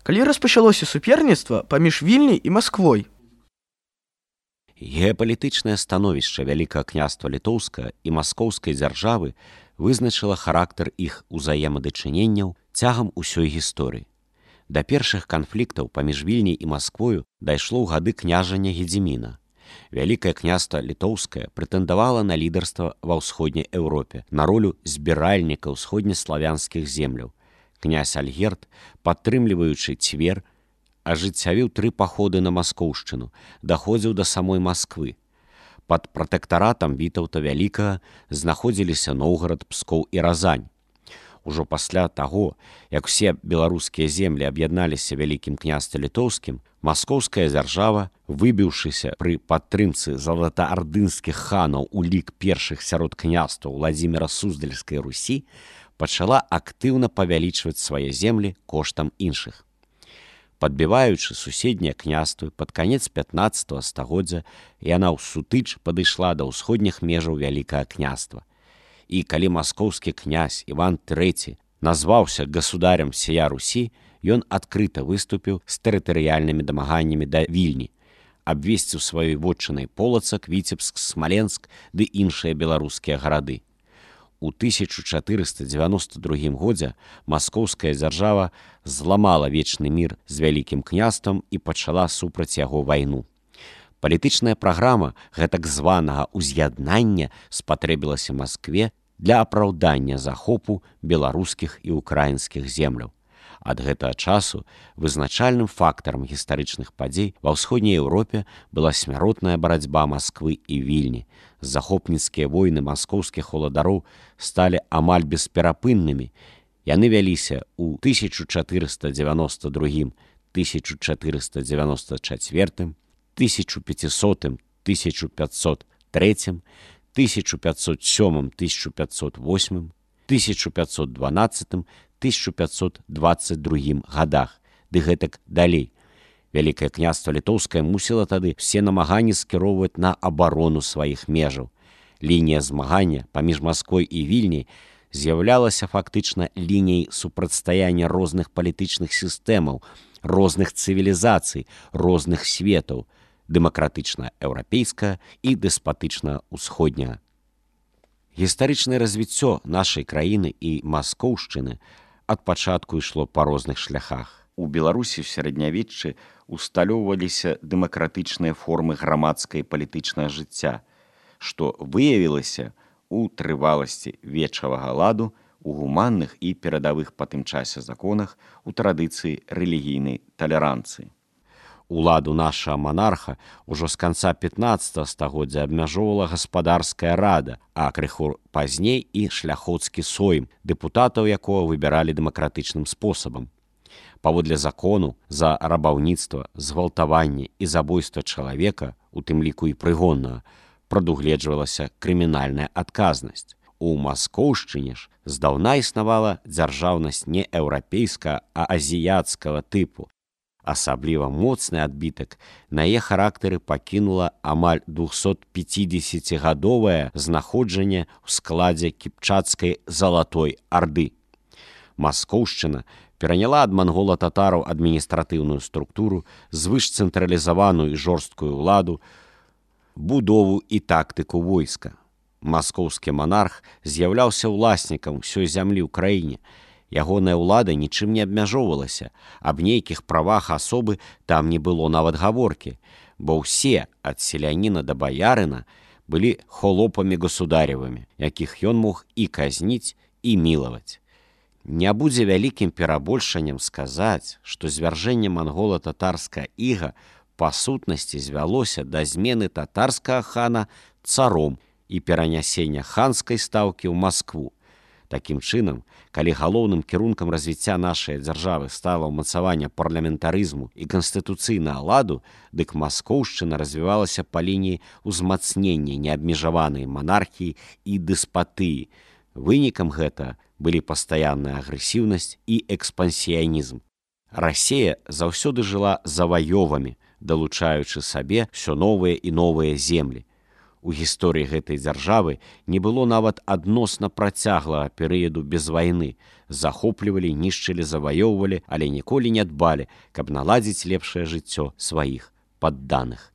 Калі распачалося суперніцтва паміж Вільняй і Масквой? Геапалітычнае становішча Вялікага княства Літоўскага і Маскоўскай дзяржавы вызначыла характар іх узаемадачыненняў цягам усёй гісторыі. Да першых канфліктаў паміж Вільняй і Масквою дайшло ў гады княжання Гедзіміна. Вялікае княства Літоўскае прэтэндавала на лідарства ва ўсходняй Еўропе, на ролю збіральніка ўсходнеславянскіх земляў. Князь Альгерд, падтрымліваючы Цвер, ажыццявіў 3 паходы на Маскоўшчыну, даходзіў да самой Масквы. Пад пратэктаратам Вітаўта Вялікага знаходзіліся Новгарад, Пскоў і Разань. Ужо пасля таго, як усе беларускія землі аб'ядналіся Вялікім княстве Літоўскім, Маскоўская дзяржава, выбіўшыся пры падтрымцы залатаардынскіх ханаў у лік першых сярод княстваў Владзіміра Суздальскай Русі, пачала актыўна павялічваць свае землі коштам іншых. Падбіваючы суседнія княствы пад канец 15 стагоддзя, яна ў сутыч падышла да ўсходніх межаў Вялікага княства. І калі маскоўскі князь Іван III назваўся гасударем сія Русі, ён адкрыта выступіў з тэрытарыяльнымі дамаганнямі да Вільні, абвесціў сваёй вотчынай Полацак, Віцебск, Смаленск ды іншыя беларускія гарады. У 1492 годзе маскоўская дзяржава зламала вечны мір з Вялікім княствам і пачала супраць яго вайну. Палітычная праграма гэтак званага ўз'яднання спатрэбілася Маскве для апраўдання захопу беларускіх і ўкраінскіх земляў. Ад гэтага часу вызначальным фактарам гістарычных падзей ва ўсходняй Еўропе была смяротная барацьба Масквы і Вільні. Захопніцкія войны маскоўскіх уладароў сталі амаль бесперапыннымі. Яны вяліся ў 1492, 1494, 1500, 1503, 1507, 1508, 1512, 1522 годах, ды гэтак далей. Вялікае княства Літоўскае мусіла тады все намаганні скіроўваць на абарону сваіх межаў. Лінія змагання паміж Масквой і Вільняй з'яўлялася фактычна лініяй супрацьстаяння розных палітычных сістэмаў, розных цывілізацый, розных светаў, дэмакратычна-еўрапейская і дэспатычна-ўсходняя. Гістарычнае развіццё нашай краіны і Маскоўшчыны ад пачатку ішло па розных шляхах. У Беларусі ў сярэднявеччы усталёўваліся дэмакратычныя формы грамадскага і палітычнага жыцця, што выявілася ў трываласці вечавага ладу, у гуманных і перадавых па тым часе законах, у традыцыі рэлігійнай талеранцыі. Уладу нашага манарха ўжо з канца 15 стагоддзя абмяжоўвала гаспадарская рада, а крыху пазней і шляхоцкі сойм, дэпутатаў якога выбіралі дэмакратычным спосабам. Паводле закону за рабаўніцтва, згвалтаванне і забойства чалавека, у тым ліку і прыгоннага, прадугледжвалася крымінальная адказнасць. У Маскоўшчыне ж здаўна існавала дзяржаўнасць не еўрапейскага, а азіяцкага тыпу. Асабліва моцны адбітак на яе характары пакінула амаль 250-гадовае знаходжанне ў складзе кіпчацкай залатой арды. Маскоўшчына пераняла ад мангола-татараў адміністратыўную структуру, звышцэнтралізаваную і жорсткую ўладу, будову і тактыку войска. Маскоўскі манарх з'яўляўся ўласнікам усёй зямлі ў краіне. Ягоная ўлада нічым не абмяжоўвалася, аб нейкіх правах асобы там не было нават гаворкі, бо ўсе, ад селяніна да баярына, былі холопамі государевымі, якіх ён мог і казніць, і мілаваць. Не будзе вялікім перабольшаннем сказаць, што звяржэнне мангола-татарскага іга па сутнасці звялося да змены татарскага хана царом і перанясення ханскай стаўкі ў Маскву. Такім чынам, калі галоўным кірункам развіцця нашай дзяржавы стала ўмацаванне парламентарызму і канстытуцыйнага ладу, дык Маскоўшчына развівалася па лініі ўзмацнення неабмежаванай монархіі і дэспатыі. Вынікам гэта былі пастаянная агрэсіўнасць і экспансіянізм. Расія заўсёды жыла заваёвамі, далучаючы сабе ўсё новыя і новыя землі. У гісторыі гэтай дзяржавы не было нават адносна працяглага перыяду без вайны. Захоплівалі, нішчылі, заваёўвалі, але ніколі не дбалі, каб наладзіць лепшае жыццё сваіх падданых.